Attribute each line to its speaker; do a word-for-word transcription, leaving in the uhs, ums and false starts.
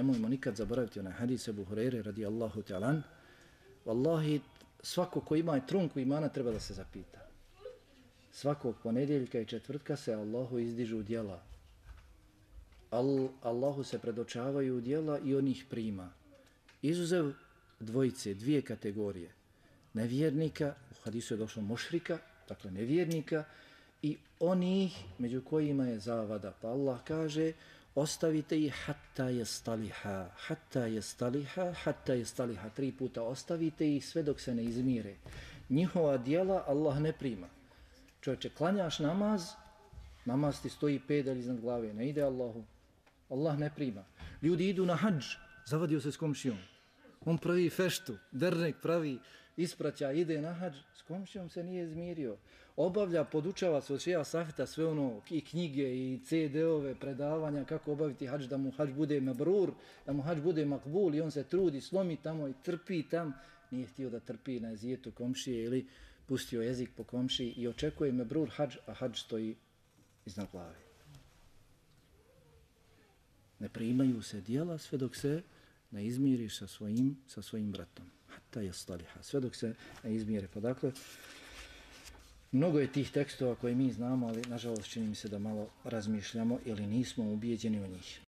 Speaker 1: nemojmo nikad zaboraviti onaj hadis Ebu Hureyre radijallahu ta'ala. Wallahi, svako ko ima trunku imana treba da se zapita. Svakog ponedjeljka i četvrtka se Allahu izdižu djela. Al, Allahu se predočavaju djela i on ih prima. Izuzev dvojice, dvije kategorije. Nevjernika, u hadisu je došlo mušrika, dakle nevjernika, i onih među kojima je zavada. Pa Allah kaže, ostavite ih hatta je staliha, hatta je staliha, hatta je staliha. Tri puta ostavite ih sve dok se ne izmire. Njihova djela Allah ne prima. Čovječe, klanjaš namaz, namaz ti stoji pedalj iznad glave, ne ide Allahu. Allah ne prima. Ljudi idu na hadž, zavadio se s komšijom. On pravi feštu, dernek pravi, ispraća, ide na hadž, s komšijom se nije izmirio. Obavlja, podučava se od šeha Safeta sve ono, i knjige, i ce de ove, predavanja, kako obaviti hadž, da mu hadž bude mabrur, da mu hadž bude makbul, i on se trudi, slomi tamo i trpi tam. Nije htio da trpi na jezijetu komšije ili pustio jezik po komšiji i očekuje mabrur hadž, a hadž stoji iznad glave. Ne primaju se djela sve dok se ne izmiriš sa svojim, sa svojim bratom. Hatta je staliha, sve dok se ne izmire. Pa dakle, mnogo je tih tekstova koje mi znamo, ali nažalost čini mi se da malo razmišljamo ili nismo ubijeđeni u njih.